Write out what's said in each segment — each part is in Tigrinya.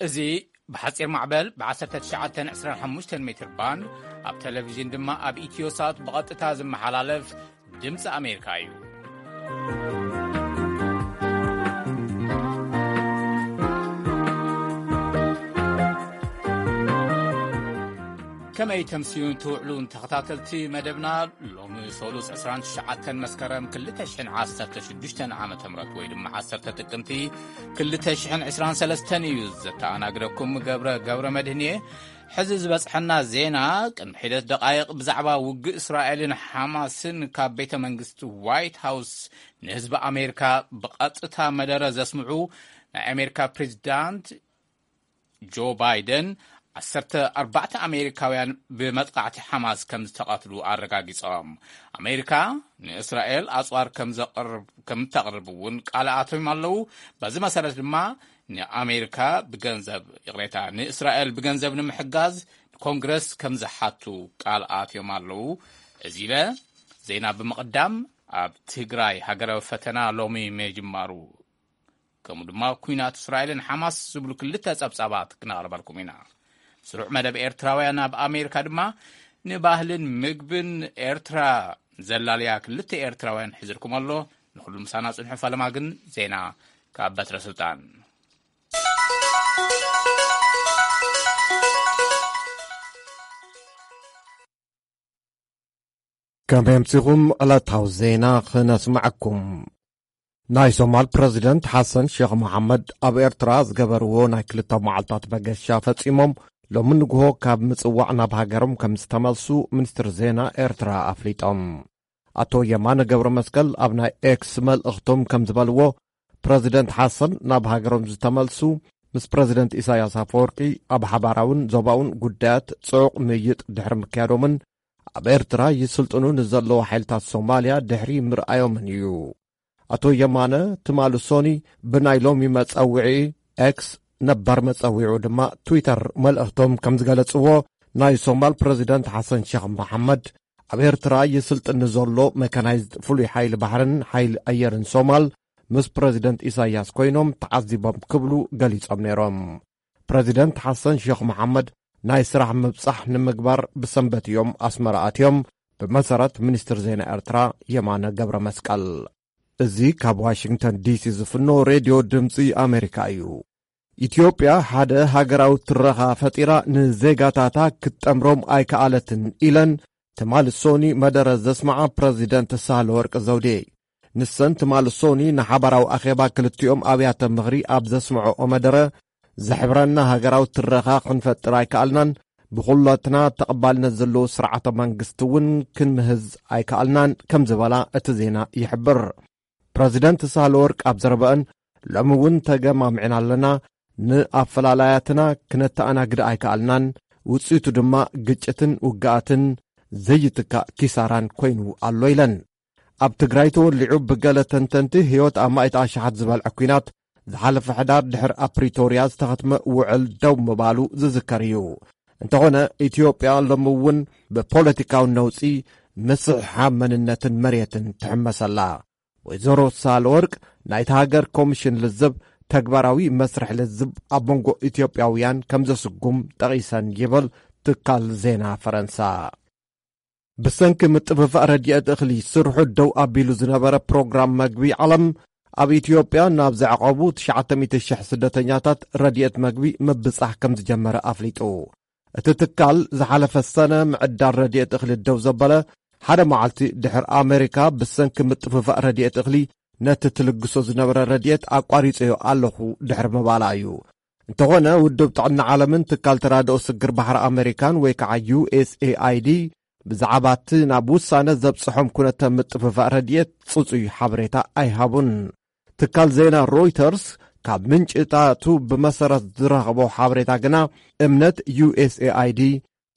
እዚ ብሓጺር ማዕበል ብ1925 ሜትር ባንድ፣ ኣብ ቴሌቪዥን ድማ ኣብ ኢትዮሳት ብቐጥታ ዝመሓላለፍ ድምፂ ኣሜሪካ እዩ። ከመይ ተምስዩን ትውዕሉን ተኸታተልቲ መደብና፣ ሎሚ ሰሉስ 29 መስከረም 2016 ዓ ም ወይ ድማ 10 ጥቅምቲ 2023 እዩ። ዘተኣናግደኩም ገብረ፣ ገብረ መድህን እየ። ሕዚ ዝበጽሐና ዜና፣ ቅድሚ ሒደት ደቓይቕ ብዛዕባ ውግእ እስራኤልን ሓማስን ካብ ቤተ መንግስቲ ዋይት ሃውስ ንህዝቢ ኣሜሪካ ብቐጥታ መደረ ዘስምዑ ናይ ኣሜሪካ ፕሬዚዳንት ጆ ባይደን፣ 14 ኣሜሪካውያን ብመጥቃዕቲ ሓማስ ከም ዝተቐትሉ ኣረጋጊጾም። ኣሜሪካ ንእስራኤል ኣጽዋር ከም ዘቕርብ፣ ከም እተቕርብ እውን ቃል ኣትዮም ኣለዉ። በዚ መሰረት ድማ ንኣሜሪካ ብገንዘብ፣ ይቕሬታ፣ ንእስራኤል ብገንዘብ ንምሕጋዝ ንኮንግረስ ከም ዝሓቱ ቃል ኣትዮም ኣለዉ። እዚ ኢለ ዜና ብምቕዳም፣ ኣብ ትግራይ ሃገራዊ ፈተና ሎሚ ምጅማሩ፣ ከምኡ ድማ ኲናት እስራኤልን ሓማስ ዝብሉ ክልተ ጸብጻባት ክነቕርበልኩም ኢና። ስሩዕ መደብ ኤርትራውያን ኣብ ኣሜሪካ ድማ ንባህልን ምግብን ኤርትራ ዘላልያ ክልተ ኤርትራውያን ሒዝልኩም ኣሎ። ንኹሉ ምሳና ጽንሑ። ፈለማ ግን ዜና ካብ በትረ ስልጣን። ከመይ ኣምሲኹም? ዕለታዊ ዜና ክነስምዐኩም። ናይ ሶማል ፕረዚደንት ሓሰን ሼኽ መሓመድ ኣብ ኤርትራ ዝገበርዎ ናይ ክልተ መዓልታት መገሻ ፈጺሞም፣ ሎሚ ንግሆ ካብ ምጽዋዕ ናብ ሃገሮም ከም ዝተመልሱ ሚኒስትሪ ዜና ኤርትራ ኣፍሊጦም። ኣቶ የማነ ገብረ መስቀል ኣብ ናይ ኤክስ መልእኽቶም ከም ዝበልዎ፣ ፕረዚደንት ሓሰን ናብ ሃገሮም ዝተመልሱ፣ ምስ ፕረዚደንት ኢሳያስ ኣፈወርቂ ኣብ ሓባራውን ዞባውን ጉዳያት ጽዑቕ ምይይጥ ድሕሪ ምክያዶምን፣ ኣብ ኤርትራ ይስልጥኑ ንዘለዉ ሓይልታት ሶማልያ ድሕሪ ምርኣዮምን እዩ። ኣቶ የማነ ትማሊ ሶኒ ብናይ ሎሚ መጸውዒ ኤክስ፣ ነባር መጸዊዑ ድማ ትዊተር፣ መልእኽቶም ከም ዝገለጽዎ፣ ናይ ሶማል ፕረዚደንት ሓሰን ሼኽ መሓመድ ኣብ ኤርትራ ይስልጥን ንዘሎ መካናይዝድ ፍሉይ ሓይሊ ባሕርን ሓይሊ ኣየርን ሶማል ምስ ፕረዚደንት ኢሳያስ ኮይኖም ተዓዚቦም ክብሉ ገሊጾም ነይሮም። ፕረዚደንት ሓሰን ሼኽ መሓመድ ናይ ስራሕ ምብጻሕ ንምግባር ብሰንበት እዮም ኣስመራ ኣትዮም፣ ብመሰረት ሚኒስትር ዜና ኤርትራ የማነ ገብረ መስቀል። እዚ ካብ ዋሽንግተን ዲሲ ዝፍኖ ሬድዮ ድምፂ ኣሜሪካ እዩ። ኢትዮጵያ ሓደ ሃገራዊ ትረኻ ፈጢራ ንዜጋታታ ክትጠምሮም ኣይከኣለትን ኢለን ትማሊ ሶኒ መደረ ዘስመዓ ፕረዚደንት ሳህለወርቅ ዘውዴ። ንሰን ትማሊ ሶኒ ንሓባራዊ ኣኼባ ክልቲኦም ኣብያተ ምኽሪ ኣብ ዘስምዐኦ መደረ፣ ዘሕብረና ሃገራዊ ትረኻ ክንፈጥር ኣይከኣልናን፣ ብኹላትና ተቐባልነት ዘለዎ ስርዓተ መንግስቲ እውን ክንምህዝ ኣይከኣልናን ከም ዝበላ እቲ ዜና ይሕብር። ፕረዚደንት ሳህለወርቅ ኣብ ዘረበአን፣ ሎሚ እውን ተገማሚዕና ኣለና፣ ንኣፈላላያትና ክነተኣናግድ ኣይከኣልናን፣ ውፅኢቱ ድማ ግጭትን ውግኣትን ዘይትካእ ኪሳራን ኮይኑ ኣሎ ኢለን። ኣብ ትግራይ ተወሊዑ ብገለ ተንተንቲ ህይወት ኣማኢት ኣሽሓት ዝበልዐ ኲናት ዝሓለፈ ሕዳር ድሕሪ ኣብ ፕሪቶርያ ዝተኸትመ ውዕል ደው ምባሉ ዝዝከር እዩ። እንተኾነ ኢትዮጵያ ሎሚ እውን ብፖለቲካዊ ነውጺ ምስሕሓብ መንነትን መሬትን ትሕመስ ኣላ። ወይዘሮ ሳህለወርቅ ናይታ ሃገር ኮሚሽን ልዝብ ተግባራዊ መስርሕ ልዝብ ኣብ መንጎ ኢትዮጵያውያን ከም ዘስጉም ጠቒሰን ይብል ትካል ዜና ፈረንሳ። ብሰንኪ ምጥፍፋእ ረድኤት እኽሊ ስርሑ ደው ኣቢሉ ዝነበረ ፕሮግራም መግቢ ዓለም ኣብ ኢትዮጵያ ናብ ዘዕቆቡ 900,000 ስደተኛታት ረድኤት መግቢ ምብጻሕ ከም ዝጀመረ ኣፍሊጡ። እቲ ትካል ዝሓለፈ ሰነ ምዕዳል ረድኤት እኽሊ ደው ዘበለ ሓደ መዓልቲ ድሕር ኣሜሪካ ብሰንኪ ምጥፍፋእ ረድኤት እኽሊ ነቲ ትልግሶ ዝነበረ ረድኤት ኣቋሪጸዮ ኣለኹ ድሕሪ ምባላ እዩ። እንተኾነ ውድብ ጥዕና ዓለምን ትካል ተራድኦ ስግር ባሕሪ ኣሜሪካን ወይ ከዓ ዩ ኤስ ኤ ኣይ ዲ ብዛዕባ እቲ ናብ ውሳነ ዘብጽሖም ኩነተ ምጥፍፋእ ረድኤት ጽጹይ ሓበሬታ ኣይሃቡን። ትካል ዜና ሮይተርስ ካብ ምንጭታቱ ብመሰረት ዝረኸቦ ሓበሬታ ግና እምነት ዩ ኤስ ኤ ኣይ ዲ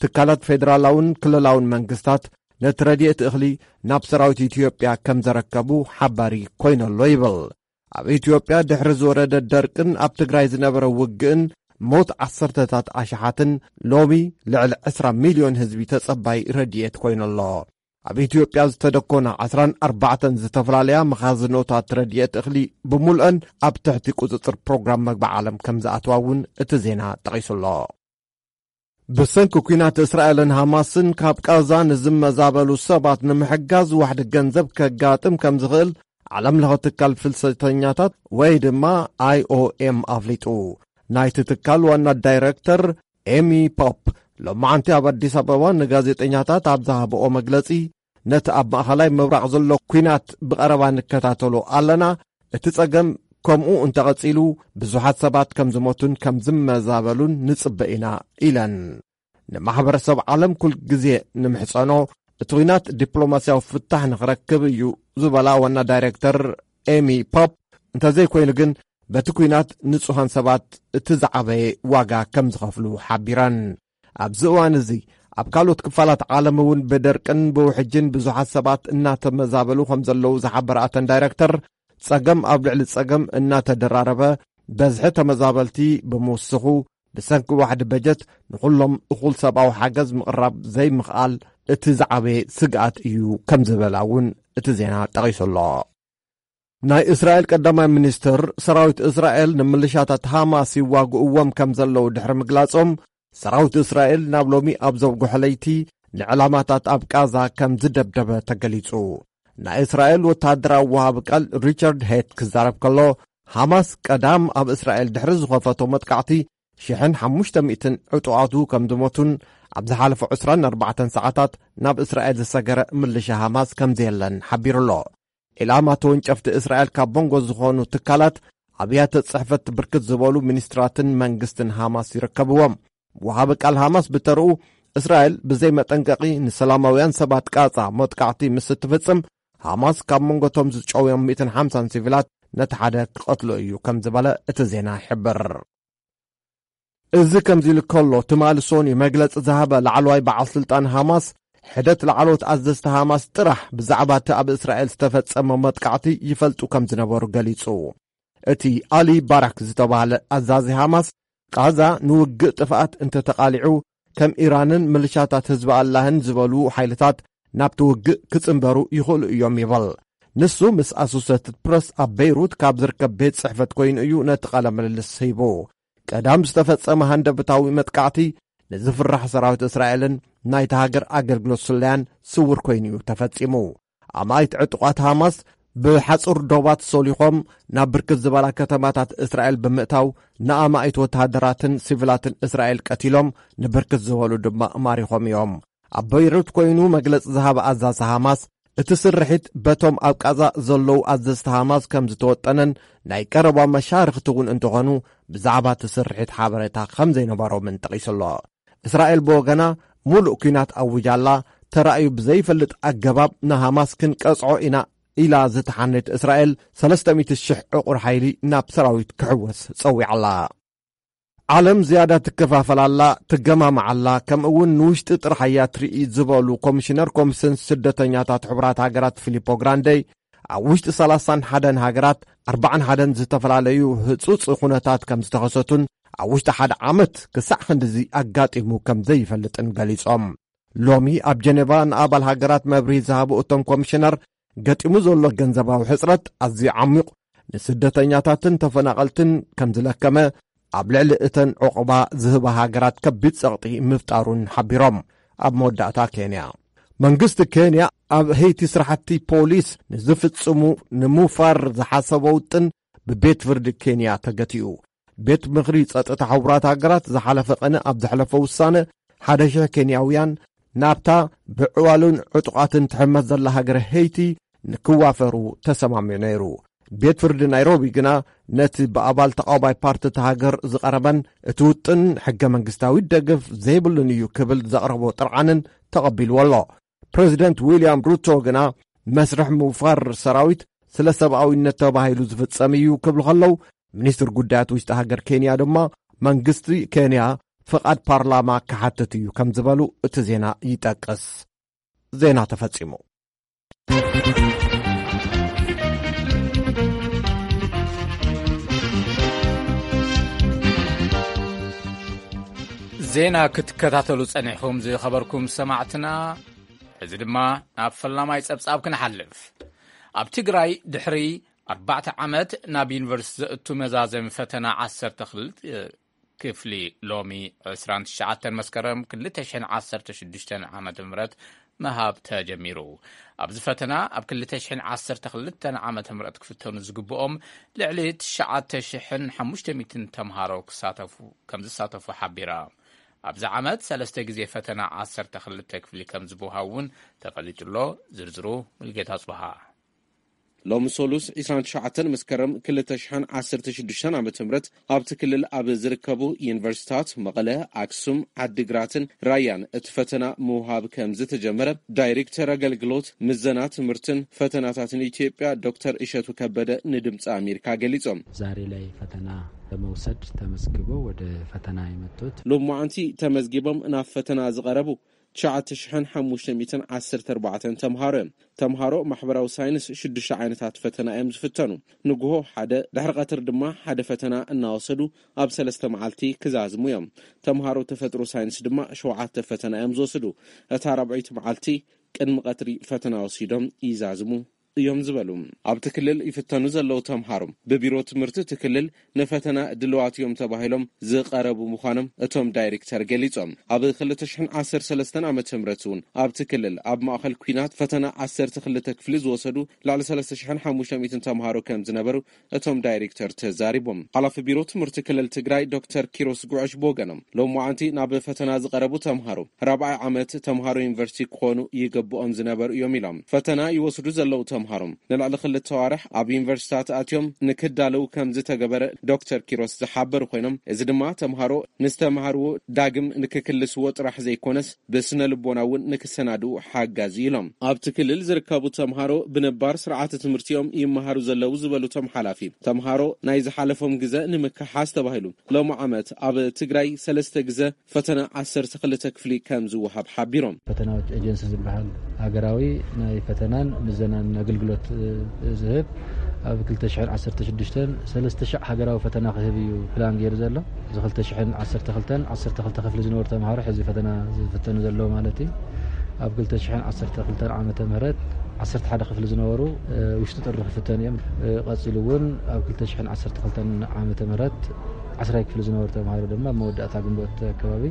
ትካላት ፌደራላውን ክልላውን መንግስታት ነቲ ረድኤት እኽሊ ናብ ሰራዊት ኢትዮጵያ ከም ዘረከቡ ሓባሪ ኮይነሎ ይብል። ኣብ ኢትዮጵያ ድሕሪ ዝወረደ ደርቅን ኣብ ትግራይ ዝነበረ ውግእን ሞት ዓሰርተታት ኣሽሓትን ሎሚ ልዕሊ 20 ሚልዮን ህዝቢ ተጸባይ ረድኤት ኮይነሎ። ኣብ ኢትዮጵያ ዝተደኮና ዓስራን ኣርባዕተን ዝተፈላለያ መኻዝኖታት ረድኤት እኽሊ ብምልአን ኣብ ትሕቲ ቁጽጽር ፕሮግራም መግቢ ዓለም ከም ዝኣትዋ እውን እቲ ዜና ጠቒሱ ኣሎ። ብሰንኪ ኲናት እስራኤልን ሃማስን ካብ ቃዛ ንዝመዛበሉ ሰባት ንምሕጋዝ ዋሕዲ ገንዘብ ከጋጥም ከም ዝኽእል ዓለም ለኸ ትካል ፍልሰተኛታት ወይ ድማ ኣይ ኦ ኤም ኣፍሊጡ። ናይቲ ትካል ዋና ዳይረክተር ኤሚ ፖፕ ሎማዓንቲ ኣብ ኣዲስ ኣበባ ንጋዜጠኛታት ኣብ ዝሃብኦ መግለጺ፣ ነቲ ኣብ ማእኸላይ ምብራቕ ዘሎ ኲናት ብቐረባ ንከታተሎ ኣለና። እቲ ጸገም ከምኡ እንተቐጺሉ ብዙሓት ሰባት ከም ዝሞቱን ከም ዝመዛበሉን ንጽበ ኢና ኢለን። ንማሕበረሰብ ዓለም ኩል ግዜ ንምሕጸኖ እቲ ኲናት ዲፕሎማስያዊ ፍታሕ ንኽረክብ እዩ ዝበላ ዋና ዳይሬክተር ኤሚ ፖፕ፣ እንተዘይኮይኑ ግን በቲ ኲናት ንጹሃን ሰባት እቲ ዝዓበየ ዋጋ ከም ዝኸፍሉ ሓቢረን። ኣብዚ እዋን እዚ ኣብ ካልኦት ክፋላት ዓለም እውን ብደርቅን ብውሕጅን ብዙሓት ሰባት እናተመዛበሉ ከም ዘለዉ ዝሓበራ እተን ዳይረክተር፣ ጸገም ኣብ ልዕሊ ጸገም እናተደራረበ በዝሒ ተመዛበልቲ ብምውስኹ፣ ብሰንኪ ዋሕዲ በጀት ንኹሎም እኹል ሰብኣዊ ሓገዝ ምቕራብ ዘይምኽኣል እቲ ዝዓበየ ስግኣት እዩ ከም ዝበላ እውን እቲ ዜና ጠቒሱ ኣሎ። ናይ እስራኤል ቀዳማይ ሚኒስትር ሰራዊት እስራኤል ንምልሻታት ሃማስ ይዋግእዎም ከም ዘለዉ ድሕሪ ምግላጾም፣ ሰራዊት እስራኤል ናብ ሎሚ ኣብ ዘውግሖ ለይቲ ንዕላማታት ኣብ ቃዛ ከም ዝደብደበ ተገሊጹ። ናይ እስራኤል ወተሃደራዊ ወሃቢ ቃል ሪቻርድ ሄት ክዛረብ ከሎ፣ ሃማስ ቀዳም ኣብ እስራኤል ድሕሪ ዝኸፈቶ መጥቃዕቲ ሽሕን ሓሙሽተ ሚእትን ዕጡቓቱ ከም ዝሞቱን ኣብ ዝሓለፈ ዕስራን ኣርባዕተን ሰዓታት ናብ እስራኤል ዝሰገረ ምልሻ ሃማስ ከም ዘየለን ሓቢሩ ኣሎ። ዒላማ ተወንጨፍቲ እስራኤል ካብ መንጎ ዝኾኑ ትካላት ኣብያተ ጽሕፈት ብርክት ዝበሉ ሚኒስትራትን መንግስትን ሃማስ ይርከብዎም። ወሃቢ ቃል ሃማስ ብተርኡ፣ እስራኤል ብዘይ መጠንቀቒ ንሰላማውያን ሰባት ቃጻ መጥቃዕቲ ምስ እትፍጽም፣ ሃማስ ካብ መንጎቶም ዝጨውዮም ሚእትን ሓምሳን ሲቪላት ነቲ ሓደ ክቐትሎ እዩ ከም ዝበለ እቲ ዜና ይሕብር። እዚ ከምዚ ኢሉ ከሎ፣ ትማሊ ሶኒ መግለጺ ዝሃበ ላዕለዋይ በዓል ስልጣን ሃማስ፣ ሕደት ላዕለዎት ኣዘዝቲ ሃማስ ጥራሕ ብዛዕባ እቲ ኣብ እስራኤል ዝተፈጸመ መጥቃዕቲ ይፈልጡ ከም ዝነበሩ ገሊጹ። እቲ ኣሊ ባራክ ዝተባህለ ኣዛዚ ሃማስ፣ ቃዛ ንውግእ ጥፍኣት እንተተቓሊዑ፣ ከም ኢራንን ምልሻታት ህዝቢ ኣላህን ዝበሉ ሓይልታት ናብቲ ውግእ ክጽንበሩ ይኽእሉ እዮም ይብል። ንሱ ምስ ኣሶሴትድ ፕረስ ኣብ በይሩት ካብ ዝርከብ ቤት ጽሕፈት ኮይኑ እዩ ነቲ ቃለ ምልልስ ሂቡ። ቀዳም ዝተፈጸመ ሃንደበታዊ መጥቃዕቲ ንዝፍራሕ ሰራዊት እስራኤልን ናይታ ሃገር ኣገልግሎት ስለያን ስውር ኮይኑ እዩ ተፈጺሙ። ኣማኢት ዕጡቓት ሃማስ ብሓጹር ዶባት ሶሊኾም ናብ ብርክት ዝበላ ከተማታት እስራኤል ብምእታው ንኣማኢት ወተሃደራትን ሲቪላትን እስራኤል ቀቲሎም፣ ንብርክት ዝበሉ ድማ ማሪኾም እዮም። ኣብ በይሩት ኮይኑ መግለጺ ዝሃበ ኣዛዚ ሃማስ፣ እቲ ስርሒት በቶም ኣብ ቃዛ ዘለዉ ኣዘዝቲ ሃማስ ከም ዝተወጠነን ናይ ቀረባ መሻርኽቲ እውን እንተኾኑ ብዛዕባ እቲ ስርሒት ሓበሬታ ከም ዘይነበሮምን ጠቒሱ ኣሎ። እስራኤል ብወገና፣ ሙሉእ ኲናት ኣዊጃ ኣላ። ተራእዩ ብዘይፈልጥ ኣገባብ ንሃማስ ክንቀጽዖ ኢና ኢላ ዝተሓነየት እስራኤል፣ ሰለስተ ሚእቲ ሽሕ ዕቑር ሓይሊ ናብ ሰራዊት ክሕወስ ጸዊዓ ኣላ። ዓለም ዝያዳ ትከፋፈል ኣላ፣ ትገማማዕ ኣላ፣ ከምኡ እውን ንውሽጢ ጥራሕ እያ ትርኢ ዝበሉ ኮሚሽነር ኮሚሽን ስደተኛታት ሕቡራት ሃገራት ፊሊፖ ግራንደይ፣ ኣብ ውሽጢ ሰላሳን ሓደን ሃገራት ኣርባዓን ሓደን ዝተፈላለዩ ህጹጽ ኩነታት ከም ዝተኸሰቱን ኣብ ውሽጢ ሓደ ዓመት ክሳዕ ክንድዚ ኣጋጢሙ ከም ዘይፈልጥን ገሊጾም። ሎሚ ኣብ ጀኔቫ ንኣባል ሃገራት መብርሂ ዝሃቡ እቶም ኮሚሽነር፣ ገጢሙ ዘሎ ገንዘባዊ ሕጽረት ኣዝዩ ዓሚቕ፣ ንስደተኛታትን ተፈናቐልትን ከም ዝለከመ፣ ኣብ ልዕሊ እተን ዑቕባ ዝህባ ሃገራት ከቢድ ጸቕጢ ምፍጣሩን ሓቢሮም። ኣብ መወዳእታ ኬንያ፣ መንግስቲ ኬንያ ኣብ ሄይቲ ስራሕቲ ፖሊስ ንዝፍጽሙ ንምውፋር ዝሓሰቦ ውጥን ብቤት ፍርዲ ኬንያ ተገቲኡ። ቤት ምኽሪ ጸጥታ ሕቡራት ሃገራት ዝሓለፈ ቅነ ኣብ ዘሕለፎ ውሳነ፣ ሓደ ሽሕ ኬንያውያን ናብታ ብዕዋሉን ዕጡቓትን ትሕመስ ዘላ ሃገር ሄይቲ ንክዋፈሩ ተሰማሚዑ ነይሩ። ቤት ፍርዲ ናይሮቢ ግና ነቲ ብኣባል ተቓዋማይ ፓርቲ እታ ሃገር ዝቐረበን እቲ ውጥን ሕገ መንግስታዊ ደገፍ ዘይብሉን እዩ ክብል ዘቕረቦ ጥርዓንን ተቐቢልዎ ኣሎ። ፕሬዚደንት ዊልያም ሩቶ ግና መስርሕ ምውፋር ሰራዊት ስለ ሰብኣዊነት ተባሂሉ ዝፍጸም እዩ ክብሉ ከለዉ፣ ሚኒስትር ጉዳያት ውሽጢ ሃገር ኬንያ ድማ መንግስቲ ኬንያ ፍቓድ ፓርላማ ክሓትት እዩ ከም ዝበሉ እቲ ዜና ይጠቅስ። ዜና ተፈጺሙ። ዜና ክትከታተሉ ጸኒሕኩም ዝኸበርኩም ሰማዕትና፣ እዚ ድማ ናብ ፈላማይ ጸብጻብ ክንሓልፍ። ኣብ ትግራይ ድሕሪ ኣርባዕተ ዓመት ናብ ዩኒቨርሲቲ ዘእቱ መዛዘሚ ፈተና ዓሰርተ ክልተ ክፍሊ ሎሚ ዕስራን ትሽዓተን መስከረም ክልተ ሽሕን ዓሰርተ ሽዱሽተን ዓመተ ምህረት ምሃብ ተጀሚሩ። ኣብዚ ፈተና ኣብ ክልተ ሽሕን ዓሰርተ ክልተን ዓመተ ምህረት ክፍተኑ ዝግብኦም ልዕሊ ትሽዓተ ሽሕን ሓሙሽተ ሚእትን ተምሃሮ ክሳተፉ፣ ከም ዝሳተፉ ሓቢራ። ኣብዚ ዓመት ሰለስተ ግዜ ፈተና ዓሰርተ ክልተ ክፍሊ ከም ዝበሃው እውን ተፈሊጡ ኣሎ። ዝርዝሩ ሙልጌታ ጽብሃ። ሎሚ ሰሉስ ዕስራን ትሽዓተን መስከረም ክልተ ሽሕን ዓሰርተ ሽዱሽተን ዓመተ ምህረት ኣብቲ ክልል ኣብ ዝርከቡ ዩኒቨርሲታት መቐለ፣ ኣክሱም፣ ዓዲግራትን ራያን እቲ ፈተና ምውሃብ ከም ዝተጀመረ ዳይሬክተር ኣገልግሎት ምዘና ትምህርትን ፈተናታትን ኢትዮጵያ ዶክተር እሸቱ ከበደ ንድምፂ ኣሜሪካ ገሊጾም። ዛሬ ላይ ፈተና ለመውሰድ ተመዝግበው ወደ ፈተና የመጡት። ሎማዓንቲ ተመዝጊቦም ናብ ፈተና ዝቐረቡ ትሽዓተ ሽሕን ሓሙሽተ ሚእትን ዓሰርተ ኣርባዕተን ተምሃሮ እዮም። ተምሃሮ ማሕበራዊ ሳይንስ ሽዱሽተ ዓይነታት ፈተና እዮም ዝፍተኑ። ንግሆ ሓደ፣ ድሕሪ ቀትሪ ድማ ሓደ ፈተና እናወሰዱ ኣብ ሰለስተ መዓልቲ ክዛዝሙ እዮም። ተምሃሮ ተፈጥሮ ሳይንስ ድማ ሸውዓተ ፈተና እዮም ዝወስዱ። እታ ራብዐይቲ መዓልቲ ቅድሚ ቀትሪ ፈተና ወሲዶም ይዛዝሙ እዮም ዝበሉ። ኣብቲ ክልል ይፍተኑ ዘለዉ ተምሃሮ ብቢሮ ትምህርቲ እቲ ክልል ንፈተና ድልዋት እዮም ተባሂሎም ዝቐረቡ ምዃኖም እቶም ዳይሬክተር ገሊጾም። ኣብ ክልተ ሽሕን ዓሰርተ ሰለስተን ዓመተ ምህረት እውን ኣብቲ ክልል ኣብ ማእኸል ኲናት ፈተና ዓሰርተ ክልተ ክፍሊ ዝወሰዱ ልዕሊ ሰለስተ ሽሕን ሓሙሽተ ሚእትን ተምሃሮ ከም ዝነበሩ እቶም ዳይሬክተር ተዛሪቦም። ሓላፊ ቢሮ ትምህርቲ ክልል ትግራይ ዶክተር ኪሮስ ጉዕሽ ብወገኖም፣ ሎማዓንቲ ናብ ፈተና ዝቐረቡ ተምሃሮ ራብዓይ ዓመት ተምሃሮ ዩኒቨርሲቲ ክኾኑ ይግብኦም ዝነበሩ እዮም ኢሎም። ፈተና ይወስዱ ዘለዉ ተምሃሮ ንልዕሊ ክልተ ኣዋርሕ ኣብ ዩኒቨርሲታት ኣትዮም ንክዳለዉ ከም ዝተገበረ ዶክተር ኪሮስ ዝሓበሩ ኮይኖም፣ እዚ ድማ ተምሃሮ ንዝተምሃርዎ ዳግም ንክክልስዎ ጥራሕ ዘይኮነስ ብስነ ልቦና እውን ንክሰናድኡ ሓጋዚ ኢሎም። ኣብቲ ክልል ዝርከቡ ተምሃሮ ብነባር ስርዓተ ትምህርቲኦም ይመሃሩ ዘለዉ ዝበሉ እቶም ሓላፊ፣ ተምሃሮ ናይ ዝሓለፎም ግዘ ንምክሓስ ተባሂሉ ሎሚ ዓመት ኣብ ትግራይ ሰለስተ ግዘ ፈተና ዓሰርተ ክልተ ክፍሊ ከም ዝወሃብ ሓቢሮም። ፈተናዎች ኤጀንሲ ዝበሃል ሃገራዊ ናይ ፈተናን ምዘናን ኣገልግሎት፣ እ፣ ዝህብ ኣብ ክልተ ሽሕን ዓሰርተ ሽዱሽተን ሰለስተ ሽሕ ሃገራዊ ፈተና ክህብ እዩ ፕላን ገይሩ ዘሎ። እዚ ክልተ ሽሕን ዓሰርተ ክልተን ዓሰርተ ክልተ ክፍሊ ዝነበሩ ተምሃሮ ሕዚ ፈተና ዝፍተኑ ዘለዉ ማለት እዩ። ኣብ ክልተ ሽሕን ዓሰርተ ክልተን ዓመተ ምህረት ዓሰርተ ሓደ ክፍሊ ዝነበሩ፣ እ፣ ውሽጢ ጥሪ ክፍተኑ እዮም። እ፣ ቀጺሉ እውን ኣብ ክልተ ሽሕን ዓሰርተ ክልተን ዓመተ ምህረት ዓስራይ ክፍሊ ዝነበሩ ተምሃሮ ድማ ኣብ መወዳእታ ግንቦት ኣከባቢ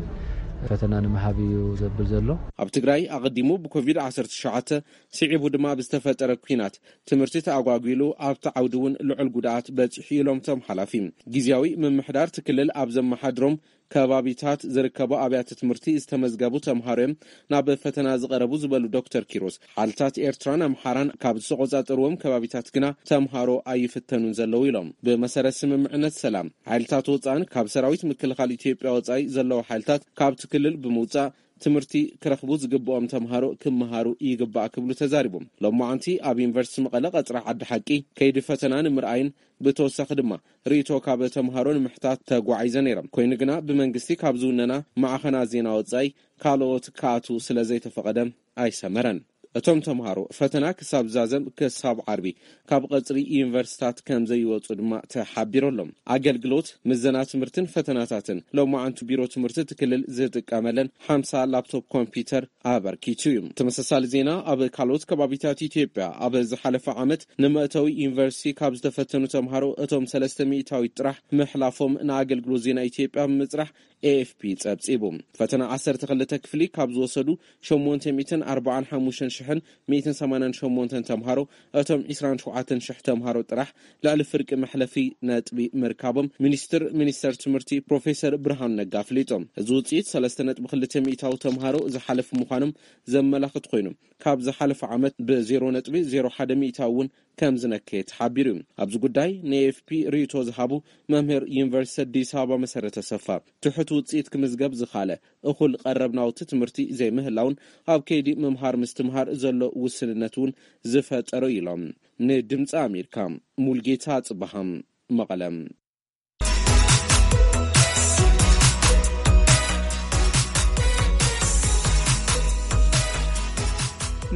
ፈተና ንምሃብ እዩ ዘብል ዘሎ። ኣብ ትግራይ ኣቐዲሙ ብኮቪድ ዓሰርተ ትሽዓተ ስዒቡ ድማ ብዝተፈጠረ ኲናት ትምህርቲ ተኣጓጒሉ ኣብቲ ዓውዲ እውን ልዑል ጉድኣት በፂሑ ኢሎም እቶም ሓላፊ። ግዝያዊ ምምሕዳር እቲ ክልል ኣብ ዘመሓድሮም ከባቢታት ዝርከቡ ኣብያተ ትምህርቲ ዝተመዝገቡ ተምሃሮ እዮም ናብ ፈተና ዝቐረቡ ዝበሉ ዶክተር ኪሮስ፣ ሓይልታት ኤርትራን ኣምሓራን ካብ ዝተቆጻጸርዎም ከባቢታት ግና ተምሃሮ ኣይፍተኑን ዘለዉ ኢሎም። ብመሰረት ስምምዕነት ሰላም፣ ሓይልታት ወጻእን ካብ ሰራዊት ምክልኻል ኢትዮጵያ ወጻኢ ዘለዉ ሓይልታት ካብቲ ክልል ብምውጻእ ትምህርቲ ክረኽቡ ዝግብኦም ተምሃሮ ክመሃሩ ይግባእ ክብሉ ተዛሪቦም። ሎማዓንቲ ኣብ ዩኒቨርሲቲ መቐለ ቀጽሪ ዓዲ ሓቂ ከይዲ ፈተና ንምርኣይን ብተወሳኺ ድማ ርእይቶ ካብ ተምሃሮ ንምሕታት ተጓዒዘ ነይረ። ኮይኑ ግና ብመንግስቲ ካብ ዝውነና ማዕኸናት ዜና ወጻኢ ካልኦት ክኣትዉ ስለ ዘይተፈቐደ ኣይሰመረን። እቶም ተምሃሮ ፈተና ክሳብ ዛዘም ክሳብ ዓርቢ ካብ ቀጽሪ ዩኒቨርሲታት ከም ዘይወጹ ድማ ተሓቢሩ ኣሎ። ኣገልግሎት ምዘና ትምህርትን ፈተናታትን ሎማዓንቱ ቢሮ ትምህርቲ እቲ ክልል ዝጥቀመለን ሓምሳ ላፕቶፕ ኮምፒውተር ኣበርኪቱ እዩ። ተመሳሳሊ ዜና ኣብ ካልኦት ከባቢታት ኢትዮጵያ ኣብ ዝሓለፈ ዓመት ንመእተዊ ዩኒቨርሲቲ ካብ ዝተፈተኑ ተምሃሮ እቶም ሰለስተ ሚእታዊት ጥራሕ ምሕላፎም ንኣገልግሎት ዜና ኢትዮጵያ ብምጽራሕ ኤ ኤፍ ፒ ጸብጺቡ። ፈተና ዓሰርተ ክልተ ክፍሊ ካብ ዝወሰዱ ሸሞንተ ሚእትን ኣርባዓን ሓሙሽተን ሽሕን ሚእትን ሰማንያን ሸሞንተን ተምሃሮ እቶም ዕስራን ሸውዓተን ሽሕ ተምሃሮ ጥራሕ ልዕሊ ፍርቂ መሕለፊ ነጥቢ ምርካቦም ሚኒስትር ሚኒስተር ትምህርቲ ፕሮፌሰር ብርሃኑ ነጋ ኣፍሊጦም። እዚ ውጽኢት ሰለስተ ነጥቢ ክልተ ሚእታዊ ተምሃሮ ዝሓለፉ ምዃኖም ዘመላኽት ኮይኑ፣ ካብ ዝሓለፈ ዓመት ብዜሮ ነጥቢ ዜሮ ሓደ ሚእታዊ እውን ከም ዝነከየ ተሓቢሩ እዩ። ኣብዚ ጉዳይ ንኤ ኤፍ ፒ ርእይቶ ዝሃቡ መምህር ዩኒቨርሲቲ ኣዲስ ኣበባ መሰረተ ሰፋ፣ ትሑት ውጽኢት ክምዝገብ ዝኻለ እኹል ቀረብ ናውቲ ትምህርቲ ዘይምህላውን ኣብ ከይዲ ምምሃር ምስትምሃር ዘሎ ውስንነት እውን ዝፈጠሮ ኢሎም። ንድምፂ ኣሜሪካ ሙልጌታ ጽበሃም መቐለም።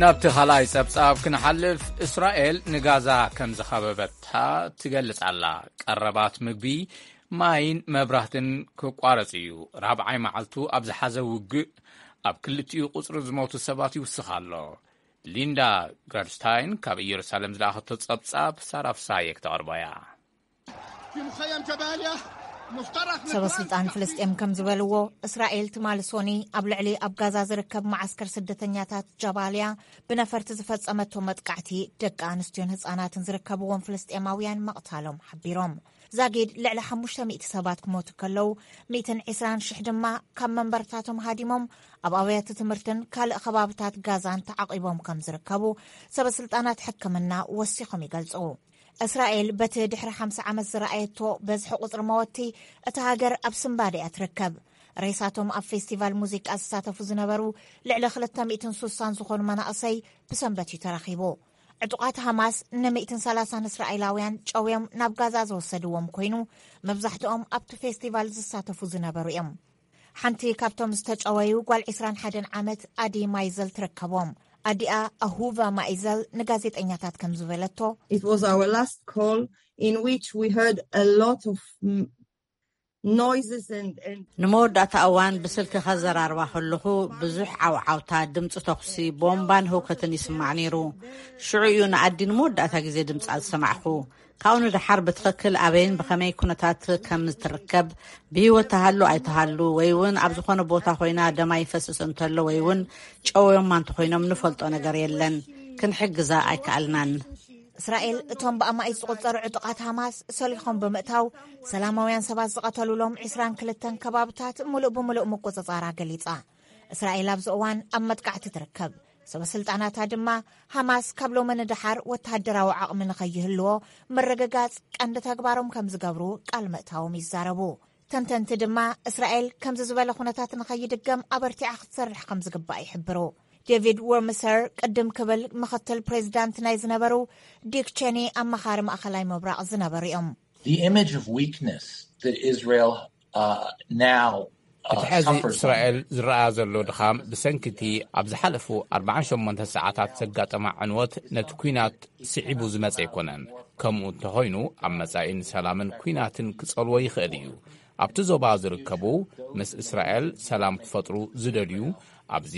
ናብቲ ካልኣይ ጸብጻብ ክንሓልፍ፣ እስራኤል ንጋዛ ከም ዝኸበበታ ትገልጽ ኣላ። ቀረባት ምግቢ፣ ማይን መብራህትን ክቋረጽ እዩ። ራብዓይ መዓልቱ ኣብ ዝሓዘ ውግእ ኣብ ክልቲኡ ቁጽሪ ዝሞቱ ሰባት ይውስኽ ኣሎ። ሊንዳ ግራድስታይን ካብ ኢየሩሳሌም ዝለኣኸቶ ጸብጻብ ሳራ ፍሳሃየ ክተቕርቦ እያ። ሰበ ስልጣን ፍልስጤም ከም ዝበልዎ፣ እስራኤል ትማሊ ሶኒ ኣብ ልዕሊ ኣብ ጋዛ ዝርከብ መዓስከር ስደተኛታት ጃባልያ ብነፈርቲ ዝፈጸመቶ መጥቃዕቲ፣ ደቂ ኣንስትዮን ህጻናትን ዝርከብዎም ፍልስጤማውያን መቕታሎም ሓቢሮም። ዛጊድ ልዕሊ ሓሙሽተ ሚእቲ ሰባት ክሞቱ ከለዉ፣ ሚእትን ዕስራን ሽሕ ድማ ካብ መንበርታቶም ሃዲሞም ኣብ ኣብያተ ትምህርትን ካልእ ከባብታት ጋዛን ተዓቒቦም ከም ዝርከቡ ሰበ ስልጣናት ሕክምና ወሲኾም ይገልጹ። እስራኤል በቲ ድሕሪ ሓምሳ ዓመት ዝረኣየቶ በዝሒ ቁጽሪ መወቲ፣ እታ ሃገር ኣብ ስንባደ እያ ትርከብ። ሬሳቶም ኣብ ፌስቲቫል ሙዚቃ ዝሳተፉ ዝነበሩ ልዕሊ ክልተ ሚእትን ስሳን ዝኾኑ መናእሰይ ብሰንበት እዩ ተረኺቡ። ዕጡቓት ሃማስ ን ሚእትን ሰላሳን እስራኤላውያን ጨውዮም ናብ ጋዛ ዝወሰድዎም ኮይኑ፣ መብዛሕትኦም ኣብቲ ፌስቲቫል ዝሳተፉ ዝነበሩ እዮም። ሓንቲ ካብቶም ዝተጨወዩ ጓል ዕስራን ሓደን ዓመት ኣዲ ማይዘል ትርከቦም። ኣዲኣ ኣሁቫ ማይዘል ንጋዜጠኛታት ከም ዝበለቶ፣ It was our last call in which we heard a lot of noises and, and ንመወዳእታ እዋን ብስልኪ ከዘራርባ ከለኹ፣ ብዙሕ ዓውዓውታ፣ ድምፂ ተኹሲ፣ ቦምባን ህውከትን ይስማዕ ነይሩ። ሽዑ እዩ ንኣዲ ንመወዳእታ ግዜ ድምፃ ዝሰማዕኹ። ካብኡ ንደሓር ብትኽክል ኣበይን ብኸመይ ኩነታት ከም ትርከብ፣ ብህይወት ተሃሉ ኣይተሃሉ፣ ወይ እውን ኣብ ዝኾነ ቦታ ኮይና ደማ ይፈስስ እንተሎ፣ ወይ እውን ጨውዮማ እንተኾይኖም ንፈልጦ ነገር የለን። ክንሕግዛ ኣይከኣልናን። እስራኤል እቶም ብኣማኢት ዝቑጸሩ ዕጡቓት ሃማስ ሰሊኾም ብምእታው፣ ሰላማውያን ሰባት ዝቐተሉሎም ዕስራን ክልተን ከባብታት ምሉእ ብምሉእ ምቁጽጻራ ገሊጻ። እስራኤል ኣብዚ እዋን ኣብ መጥቃዕቲ ትርከብ። ሰበ ስልጣናታ ድማ፣ ሃማስ ካብ ሎሚ ንደሓር ወተሃደራዊ ዓቕሚ ንኸይህልዎ ምርግጋጽ ቀንዲ ተግባሮም ከም ዝገብሩ ቃል ምእታዎም ይዛረቡ። ተንተንቲ ድማ፣ እስራኤል ከምዚ ዝበለ ኩነታት ንኸይድገም ኣበርቲዓ ክትሰርሕ ከም ዝግባእ ይሕብሩ። ዴቪድ ወርምሰር ቅድም ክብል ምኽትል ፕሬዚዳንት ናይ ዝነበሩ ዲክ ቼኒ ኣማኻሪ ማእኸላይ ምብራቕ ዝነበሩ እዮም። The image of weakness that Israel uh, now uh, እቲ ሕዚ suffers እስራኤል ዝረኣ ዘሎ ድኻም፣ ብሰንኪ እቲ ኣብ ዝሓለፉ ኣርባዓን ሸሞንተን ሰዓታት ዘጋጠማ ዕንወት፣ ነቲ ኲናት ስዒቡ ዝመጸ ኣይኮነን። ከምኡ እንተኾይኑ፣ ኣብ መጻኢ ንሰላምን ኲናትን ክጸልዎ ይኽእል እዩ። ኣብቲ ዞባ ዝርከቡ፣ ምስ እስራኤል ሰላም ክፈጥሩ ዝደልዩ፣ ኣብዚ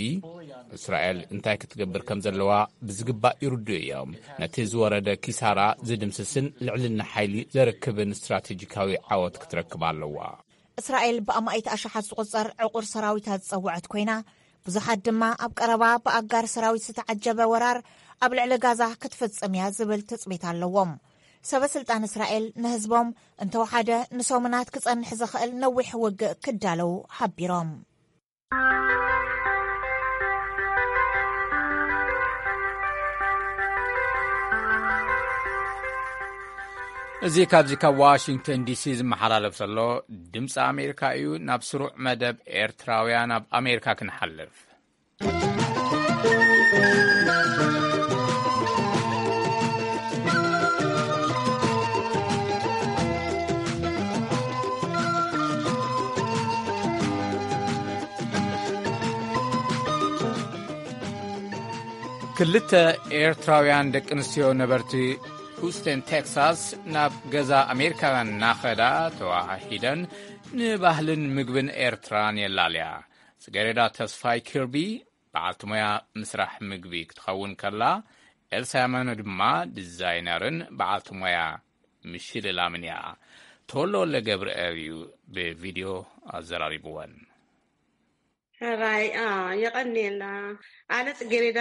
እስራኤል እንታይ ክትገብር ከም ዘለዋ ብዝግባእ ይርድኡ እዮም። ነቲ ዝወረደ ኪሳራ ዝድምስስን ልዕልና ሓይሊ ዘርክብን ስትራቴጂካዊ ዓወት ክትረክብ ኣለዋ። እስራኤል ብኣማኢት ኣሽሓት ዝቑጸር ዕቑር ሰራዊታ ዝጸወዐት ኮይና፣ ብዙሓት ድማ ኣብ ቀረባ ብኣጋር ሰራዊት ዝተዓጀበ ወራር ኣብ ልዕሊ ጋዛ ክትፍጽም እያ ዝብል ትጽቢት ኣለዎም። ሰበ ስልጣን እስራኤል ንህዝቦም እንተወሓደ ንሰሙናት ክጸንሕ ዝኽእል ነዊሕ ውግእ ክዳለው ሓቢሮም። እዚ ካብዚ ካብ ዋሽንግተን ዲሲ ዝመሓላለፍ ዘሎ ድምፂ ኣሜሪካ እዩ። ናብ ስሩዕ መደብ ኤርትራውያን ኣብ ኣሜሪካ ክንሓልፍ። ክልተ ኤርትራውያን ደቂ ኣንስትዮ ነበርቲ ሁስተን ቴክሳስ ናብ ገዛ ኣሜሪካውያን እናኸዳ ተዋሃሂደን ንባህልን ምግብን ኤርትራን የላልያ። ጽጌሬዳ ተስፋይ ኪርቢ በዓልቲ ሞያ ምስራሕ ምግቢ ክትኸውን ከላ፣ ኤልሳ የማነ ድማ ዲዛይነርን በዓልቲ ሞያ ምሽልላምን እያ። ተወልደ ወልደ ገብርኤል እዩ ብቪድዮ ኣዘራሪብወን። ሕራይ የቐንየልና። ኣነ ጽጌሬዳ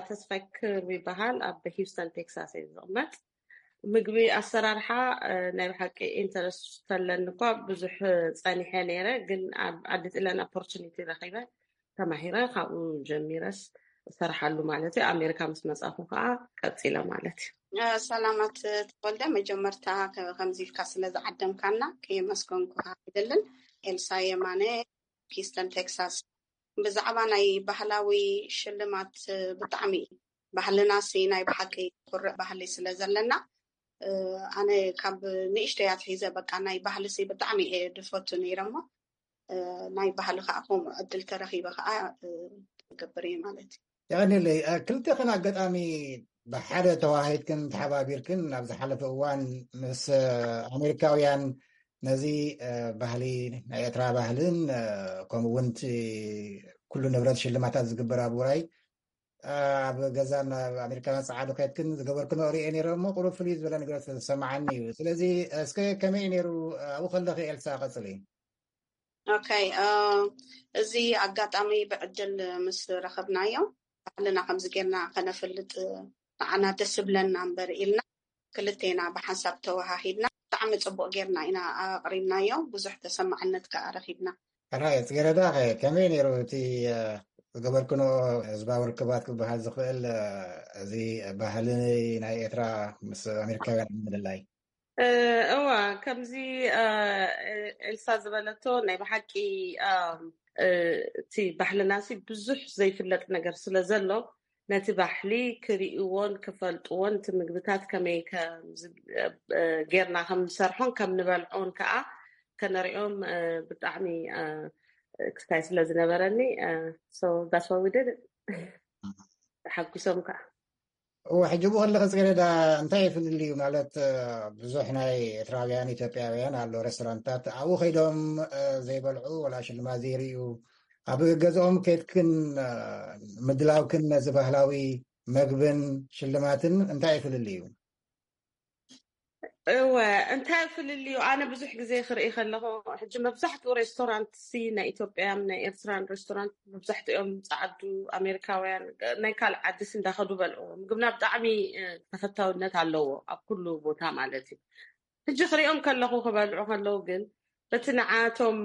ተስፋይ ክርቢ ይበሃል። ኣብ ሂውስተን ቴክሳስ እየ ዝቕመጥ። ምግቢ ኣሰራርሓ ናይ ብሓቂ ኢንተረስት ተለኒ እኳ ብዙሕ ጸኒሐ ነይረ፣ ግን ኣብ ዓዲ ጥለን ኦፖርቹኒቲ ረኺበ፣ ተማሂረ፣ ካብኡ ጀሚረስ እሰርሓሉ ማለት እዩ። ኣሜሪካ ምስ መጻኹ ከዓ ቀጺለ ማለት እዩ። ሰላማት ተወልደ፣ መጀመርታ ከምዚ ኢልካ ስለ ዝዓደምካና ከየመስገንኩካ ኣይደልን። ኤልሳ የማነ፣ ሂውስተን ቴክሳስ። ብዛዕባ ናይ ባህላዊ ሽልማት ብጣዕሚ ባህልና ሲ ናይ ብሓቂ ኩርዕ ባህሊ ስለ ዘለና፣ ኣነ ካብ ንእሽተይ ኣትሒዘ በቃ ናይ ባህሊ ሲ ብጣዕሚ እየ ድፈቱ ነይረ እሞ፣ ናይ ባህሊ ከዓ ከምኡ ዕድል ተረኺበ ከዓ ገብር እየ ማለት እዩ። የቐንየለይ። ክልቴኽን ኣጋጣሚ ብሓደ ተዋሂድክን ተሓባቢርክን ኣብ ዝሓለፈ እዋን ምስ ኣሜሪካውያን ነዚ ባህሊ ናይ ኤርትራ ባህልን ከምኡ እውን እቲ ኩሉ ንብረት ሽልማታት ዝግበር ኣብ ውራይ ኣብ ገዛን ኣብ ኣሜሪካን ጸዓዱ ከድክን ዝገበርክኖ ሪኤ ነይረ እሞ ቁሩብ ፍልይ ዝበለ ነገር ዝተሰማዓኒ እዩ። ስለዚ እስከ ከመይ ነይሩ ኣብኡ ከለኺ ኤልሳ ቀጽሊ። ኦኬ፣ እዚ ኣጋጣሚ ብዕድል ምስ ረኸብናዮ ባህልና ከምዚ ጌርና ከነፍልጥ ንዓና ደስ ብለና እምበር ኢልና ክልቴና ብሓንሳብ ተወሃሂድና ብጣዕሚ ጽቡቕ ጌርና ኢና ኣቕሪብናዮ። ብዙሕ ተሰማዕነት ከኣ ረኺብና። ሕራይ ጽጌረዳ ከ ከመይ ነይሩ እቲ ዝገበርክኖ ህዝባዊ ርክባት ክበሃል ዝኽእል እዚ ባህሊ ናይ ኤርትራ ምስ ኣሜሪካውያን ምልላይ? እዋ ከምዚ ኤልሳ ዝበለቶ ናይ ብሓቂ እቲ ባህልና ሲ ብዙሕ ዘይፍለጥ ነገር ስለ ዘሎ ነቲ ባህሊ ክርእይዎን ክፈልጥዎን እቲ ምግብታት ከመይ ጌርና ከም ንሰርሖን ከም ንበልዖን ከዓ ከነሪኦም ብጣዕሚ ክስታይ ስለ ዝነበረኒ ዳስዋዊደድ ተሓጒሶም ከዓ እወ ሕጂ ብኡ ከለኸ ጽጌረዳ እንታይ ይፍልል እዩ ማለት ብዙሕ ናይ ኤርትራውያን ኢትዮጵያውያን ኣሎ ሬስቶራንትታት ኣብኡ ከይዶም ዘይበልዑ ወላ ሽልማት ዘይርእዩ ኣብ ገዝኦም ከድክን ምድላውክን ነዚ ባህላዊ መግብን ሽልማትን እንታይ ይፍልል እዩ? እወ እንታይ ፍልልዩ ኣነ ብዙሕ ግዜ ክርኢ ከለኹ ሕጂ መብዛሕትኡ ሬስቶራንት ሲ ናይ ኢትዮጵያ ናይ ኤርትራን ሬስቶራንት መብዛሕትኦም ጻዓዱ ኣሜሪካውያን ናይ ካልእ ዓድስ እንዳኸዱ በልዑ ምግብና ብጣዕሚ ተፈታውነት ኣለዎ ኣብ ኩሉ ቦታ ማለት እዩ። ሕጂ ክሪኦም ከለኹ ክበልዑ ከለዉ ግን በቲ ንዓቶም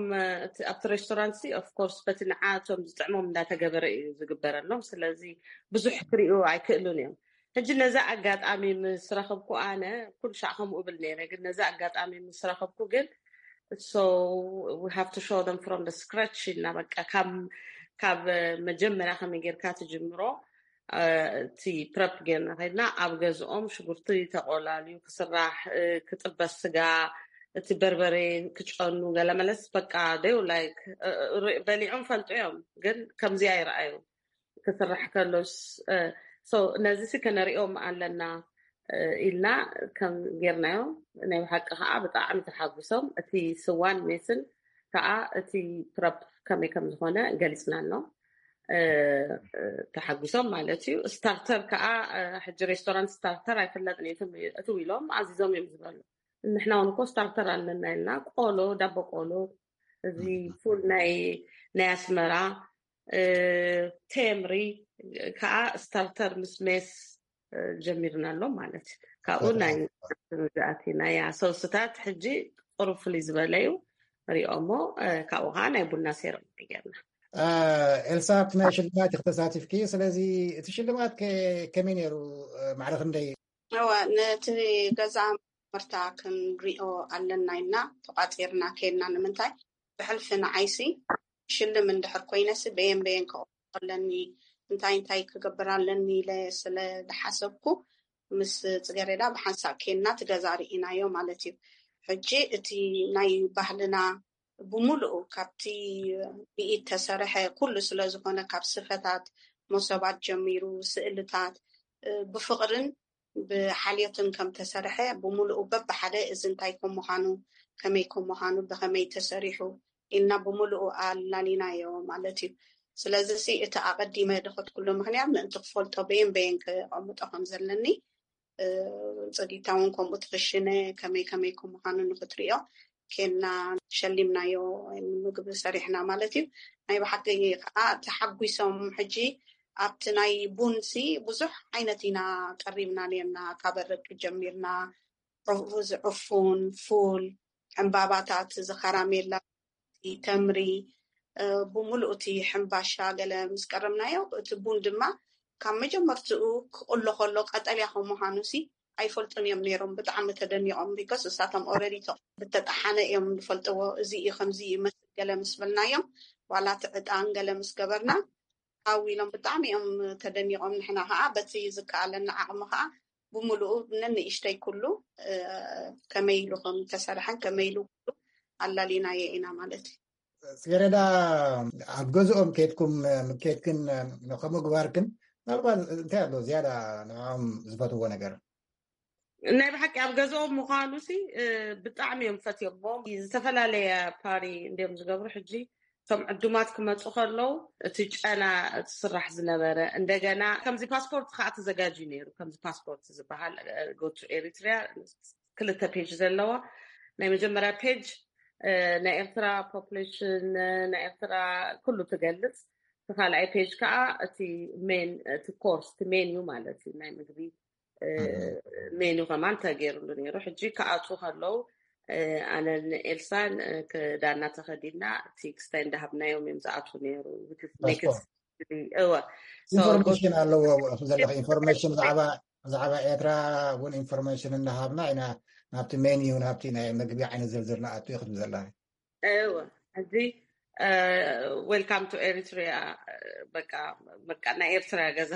ኣብቲ ሬስቶራንት ሲ ኦፍኮርስ በቲ ንዓቶም ዝጥዕሞም እንዳተገበረ እዩ ዝግበረሎም። ስለዚ ብዙሕ ክሪኡ ኣይክእሉን እዮም። ሕጂ ነዛ ኣጋጣሚ ምስ ረኸብኩ ኣነ ኩሉ ሻዕ ከምኡ እብል ነይረ፣ ግን ነዛ ኣጋጣሚ ምስ ረኸብኩ ግን so we have to show them from the scratch ኢልና በቃ ካብ መጀመርያ ከመይ ጌርካ ትጅምሮ እቲ ፕረፕ ጌርና ከድና ኣብ ገዝኦም ሽጉርቲ ተቆላልዩ ክስራሕ ክጥበስ ስጋ እቲ በርበሬ ክጨኑ ገለመለስ በቃ ደው ላይክ በሊዖም ፈልጡ እዮም ግን ከምዚ ኣይረኣዩ ክስራሕ ከሎስ ነዚ ሲ ከነሪኦም ኣለና ኢልና ከም ጌርናዮ ናይ ብሓቂ ከዓ ብጣዕሚ ተሓጉሶም እቲ ስዋን ሜስን ከዓ እቲ ፕረፕ ከመይ ከም ዝኾነ ገሊፅናሎም ተሓጒሶም ማለት እዩ። ስታርተር ከዓ ሕጂ ሬስቶራንት ስታርተር ኣይፈለጥን እዩ እትው ኢሎም ኣዚዞም እዮም ዝበሉ። ንሕና እውን እኮ ስታርተር ኣለና ኢልና ቆሎ ዳቦ ቆሎ እዚ ፉል ናይ ናይ ኣስመራ ቴምሪ ከዓ ስታርተር ምስ ሜስ ጀሚርናሎም ማለት እዩ። ካብኡ ናይ ዝኣቲና ያ ሰውስታት ሕጂ ቁሩብ ፍልይ ዝበለ እዩ ሪኦሞ ካብኡ ከዓ ናይ ቡና ሴረሞኒ ጌርና። ኤልሳ ኣብቲ ናይ ሽልማት ኢኺ ተሳቲፍኪ፣ ስለዚ እቲ ሽልማት ከመይ ነይሩ? ማዕረ ክንደይ? እወ ነቲ ገዛ መርታ ክንሪኦ ኣለና ኢልና ተቋፂርና ከይድና ንምንታይ ብሕልፊ ንዓይሲ ሽልም እንድሕር ኮይነሲ በየን በየን ከ ኣለኒ እንታይ እንታይ ክገብር ኣለኒ ኢለ ስለ ዝሓሰብኩ ምስ ፅገሬዳ ብሓንሳብ ኬንና ትገዛ ርኢናዮ ማለት እዩ። ሕጂ እቲ ናይ ባህልና ብምሉኡ ካብቲ ብኢድ ተሰርሐ ኩሉ ስለ ዝኾነ ካብ ስፈታት መሶባት ጀሚሩ ስእልታት ብፍቕርን ብሓልዮትን ከም ተሰርሐ ብምሉኡ በብሓደ እዚ እንታይ ከም ምዃኑ ከመይ ከም ምዃኑ ብኸመይ ተሰሪሑ ኢልና ብምሉኡ ኣላሊናዮ ማለት እዩ። ስለዚ ሲ እቲ ኣቐዲመ ድኸትኩሉ ምኽንያት ምእንቲ ክፈልጦ በየን በየን ከቐምጦ ከም ዘለኒ ፅዲታ እውን ከምኡ ትኽሽነ ከመይ ከመይ ከም ምዃኑ ንክትሪኦ ኬና ሸሊምናዮ ምግቢ ሰሪሕና ማለት እዩ። ናይ ብሓቂ ከዓ ተሓጒሶም ሕጂ ኣብቲ ናይ ቡን ሲ ብዙሕ ዓይነት ኢና ቀሪብና ነርና ካብ ኣረቂ ጀሚርና ሩዝ ዕፉን ፉል ዕምባባታት እዚ ከራሜላ ተምሪ ብምሉእ እቲ ሕምባሻ ገለ ምስ ቀረብናዮ እቲ ቡን ድማ ካብ መጀመርትኡ ክቕሎ ከሎ ቀጠልያ ከም ምዃኑ ሲ ኣይፈልጡን እዮም ነይሮም ብጣዕሚ ተደኒቖም because እሳቶም already ዝተጠሓነ እዮም ዝፈልጥዎ እዚ እዩ ከምዚ ይመስል ገለ ምስ በልናዮም ዋላ እቲ ዕጣን ገለ ምስ ገበርና ሃው ኢሎም ብጣዕሚ እዮም ተደኒቖም ንሕና ከዓ በቲ ዝከኣለና ዓቕሚ ከዓ ብምሉኡ ነንእሽተይ ኩሉ ከመይ ኢሉ ከም ተሰርሐን ከመይ ኢሉ ኩሉ ኣላሊናዮ ኢና ማለት እዩ። ጽጌረዳ ኣብ ገዝኦም ኬድኩም ኬድክን ከምኡ ግባርክን ምናልባት እንታይ ኣሎ ዝያዳ ንዕኦም ዝፈትዎ ነገር? ናይ ብሓቂ ኣብ ገዝኦም ምዃኑ ሲ ብጣዕሚ እዮም ፈትዮሞ ዝተፈላለየ ፓሪ እንዲዮም ዝገብሩ ሕጂ እቶም ዕዱማት ክመፁ ከለዉ እቲ ጨና እቲ ስራሕ ዝነበረ እንደገና ከምዚ ፓስፖርት ከዓ ተዘጋጅዩ ነይሩ። ከምዚ ፓስፖርት ዝበሃል ጎቱ ኤሪትሪያ ክልተ ፔጅ ዘለዋ ናይ መጀመርያ ፔጅ ናይ ኤርትራ ፖፕሌሽን ናይ ኤርትራ ኩሉ ትገልጽ። እቲ ካልኣይ ፔጅ ከዓ እቲ ሜን እቲ ኮርስ እቲ ሜን እዩ ማለት እዩ ናይ ምግቢ ሜኑ ከማን ተገይሩሉ ነይሩ። ሕጂ ክኣትዉ ከለዉ ኣነን ኤልሳን ክዳና ተኸዲና እቲ ክስታይ እንዳሃብናዮም እዮም ዝኣትዉ ነይሩ። እወ ኢንፎርሜሽን ኣለዎ ዘለኹ ኢንፎርሜሽን ብዛዕባ ኤርትራ እውን ኢንፎርሜሽን እንዳሃብና ኢና ናብቲ ሜኒዩ ናብቲ ናይ ምግቢ ዓይነት ዝርዝር ንኣቱ ኢኹም ዘለና። እወ ሕጂ welcome to Eritrea በቃ በቃ ናይ ኤርትራ ገዛ።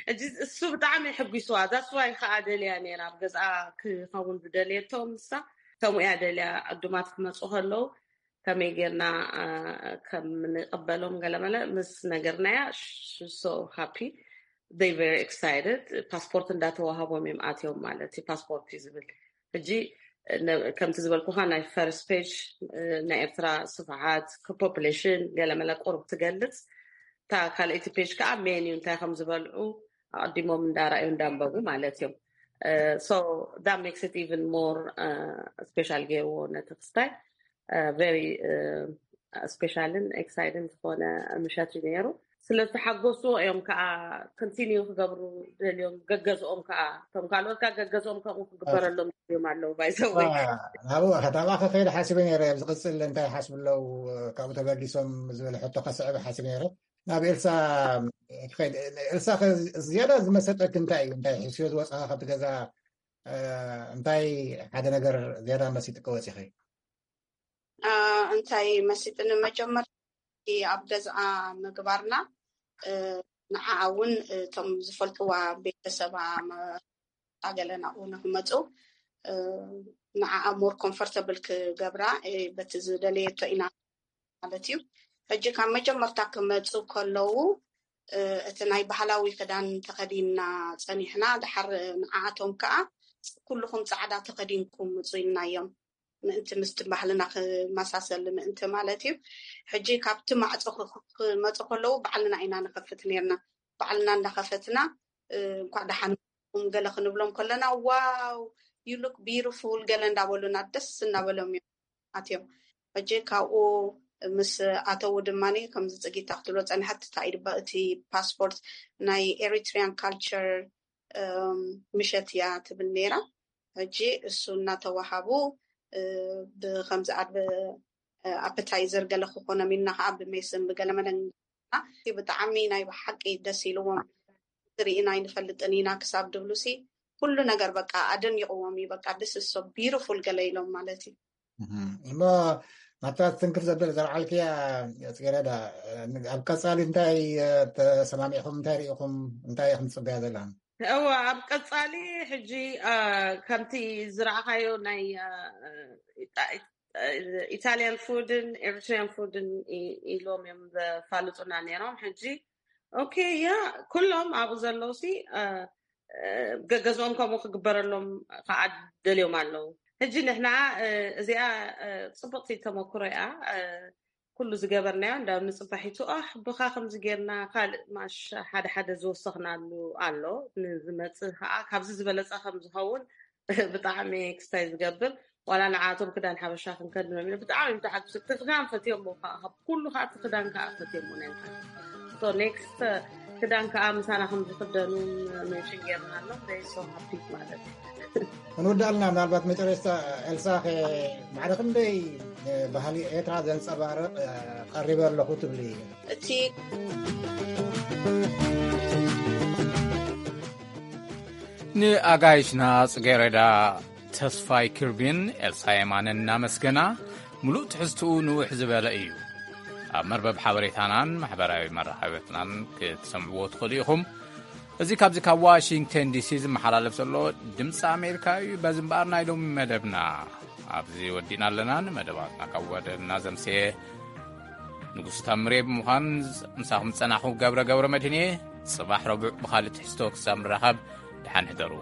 ሕጂ እሱ ብጣዕሚ ሕጒስዋ that's why ከዓ ደልያ ነይራ ኣብ ገዝኣ ክኸውን ዝደልየቶ ምሳ ከምኡ እያ ደልያ ዕዱማት ክመፁ ከለዉ ከመይ ጌርና ከም ንቀበሎም ገለመለ ምስ ነገርናያ so happy they very excited ፓስፖርት እንዳተዋሃቦም እዮም ኣትዮም ማለት እዩ ፓስፖርት እዩ ዝብል ሕጂ ከምቲ ዝበልኩካ ናይ ፈርስት ፔጅ ናይ ኤርትራ ስፍሓት ፖፕሌሽን ገለመለ ቁሩብ ትገልፅ እታ ካልኣይቲ ፔጅ ከዓ ሜን እዩ እንታይ ከም ዝበልዑ ኣቀዲሞም እንዳረኣዩ እንዳንበቡ ማለት እዮም so that makes it even more special ገይርዎ ነቲ ክስታይ very special ን exciting ዝኾነ ምሸት እዩ ነይሩ። ስለዝተሓጎስዎ እዮም ከዓ continue ክገብሩ ደልዮም ገገዝኦም ከዓ እቶም ካልኦት ከዓ ገገዝኦም ከምኡ ክግበረሎም እዮም ኣለዉ ባይዘወይ ናብኡ ከተማ ከኸይድ ሓሲበ ነይረ ዝቅፅል እንታይ ሓስብ ኣለዉ ካብኡ ተበጊሶም ዝብል ሕቶ ከስዕብ ሓሲብ ነይረ ናብ ኤልሳ ኤልሳ ዝያዳ ዝመሰጠክ እንታይ እዩ እንታይ ሕስዮ ዝወፅካ ካብቲ ገዛ እንታይ ሓደ ነገር ዝያዳ መሲጥክ ወፂኺ እንታይ መሲጥኒ መጀመርያ ኣብ ገዝኣ ምግባርና ንዓኣ እውን እቶም ዝፈልጥዋ ቤተሰባ ኣገለ ናብኡ ንክመፁ ንዓኣ more comfortable ክገብራ በቲ ዝደለየቶ ኢና ማለት እዩ። ሕጂ ካብ መጀመርታ ክመፁ ከለዉ እቲ ናይ ባህላዊ ክዳን ተኸዲንና ፀኒሕና ድሓር ንዓኣቶም ከዓ ኩልኹም ፃዕዳ ተኸዲንኩም ምፁ ኢልናዮም ምእንቲ ምስቲ ባህልና ክመሳሰል ምእንቲ ማለት እዩ። ሕጂ ካብቲ ማዕፆ ክመፁ ከለዉ ባዕልና ኢና ንኸፍት ነርና። ባዕልና እንዳኸፈትና እንኳዕ ደሓን ገለ ክንብሎም ከለና wow you look beautiful ገለ እንዳበሉና ደስ እናበሎም እዮም ኣትዮም። ሕጂ ካብኡ ምስ ኣተዉ ድማ ከምዚ ፅጊታ ክትብሎ ፀኒሓት እንታይ እዩ እቲ ፓስፖርት ናይ Eritrean culture ምሸት እያ ትብል ነይራ። ሕጂ እሱ እናተዋሃቡ ብከምዚ ኣድቨ ኣፐታይዘር ገለ ክኾኖም ኢልና ከዓ ብሜስን ብገለ መደን ብጣዕሚ ናይ ብሓቂ ደስ ኢልዎም ዝርኢና ኣይንፈልጥን ኢና ክሳብ ድብሉሲ ኩሉ ነገር በቃ ኣደኒቕዎም እዩ በቃ this is so beautiful ገለ ኢሎም ማለት እዩ። እሞ ናብታ ትንክፍ ዘብል ዘልዓልክያ ፅጌረዳ ኣብ ቀፃሊ እንታይ ተሰማሚዕኹም እንታይ ርኢኹም እንታይ ኢኹም ትፅበያ ዘለኹም? እወ ኣብ ቀፃሊ ሕጂ ከምቲ ዝረኣኻዮ ናይ ኢታሊያን ፉድን ኤሪትሪያን ፉድን ኢሎም እዮም ዘፋልጡና ነይሮም። ሕጂ ኦኬ ያ ኩሎም ኣብኡ ዘለውሲ ገገዝኦም ከምኡ ክግበረሎም ከዓ ደልዮም ኣለዉ። ሕጂ ንሕና እዚኣ ፅብቕቲ ተመክሮ እያ። ኩሉ ዝገበርናዮ እንዳ ንፅባሒቱ ኣህ ብኻ ከምዚ ጌርና ካልእ ማሽ ሓደ ሓደ ዝወሰኽናሉ ኣሎ ንዝመፅእ ከዓ ካብዚ ዝበለፀ ከም ዝኸውን ብጣዕሚ ክስታይ ዝገብር ዋላ ንዓቶም ክዳን ሓበሻ ክንከድኖም ኢና ብጣዕሚ እዮም ተሓጉሶም እቲ ክዳን ፈትዮሞ ከዓ ካብ ኩሉ ከዓ እቲ ክዳን ከዓ ፈትዮሞ ናይ ብሓቂ so next ክዳን ከዓ ምሳና ከም ዝክደኑ mention ጌርናሎም they so happy ማለት እዩ። ክንውዳእ ኣለና ምናልባት መጨረሽታ ኤልሳ ማዕረ ክንደይ ባህሊ ኤርትራ ዘንፀባርቕ ቀሪበ ኣለኹ ትብሊ? እቲ ንኣጋይሽና ጽጌረዳ ተስፋይ ክርቢን ኤልሳ የማነን እናመስገና፣ ምሉእ ትሕዝትኡ ንውሕ ዝበለ እዩ። ኣብ መርበብ ሓበሬታናን ማሕበራዊ መራኸብትናን ክትሰምዕዎ ትኽእሉ ኢኹም። እዚ ካብዚ ካብ ዋሽንግተን ዲሲ ዝመሓላለፍ ዘሎ ድምፂ ኣሜሪካ እዩ። በዚ እምበኣር ናይ ሎሚ መደብና ኣብዚ ወዲእና ኣለና። ንመደባትና ካብ ወደና ዘምስየ ንጉስ ታምሬ ብምዃን ምሳኹም ዝጸናኹ ገብረ ገብረ መድህን እየ። ጽባሕ ረቡዕ ብኻልእ ትሕዝቶ ክሳብ ንራኸብ ደሓን ሕደሩ።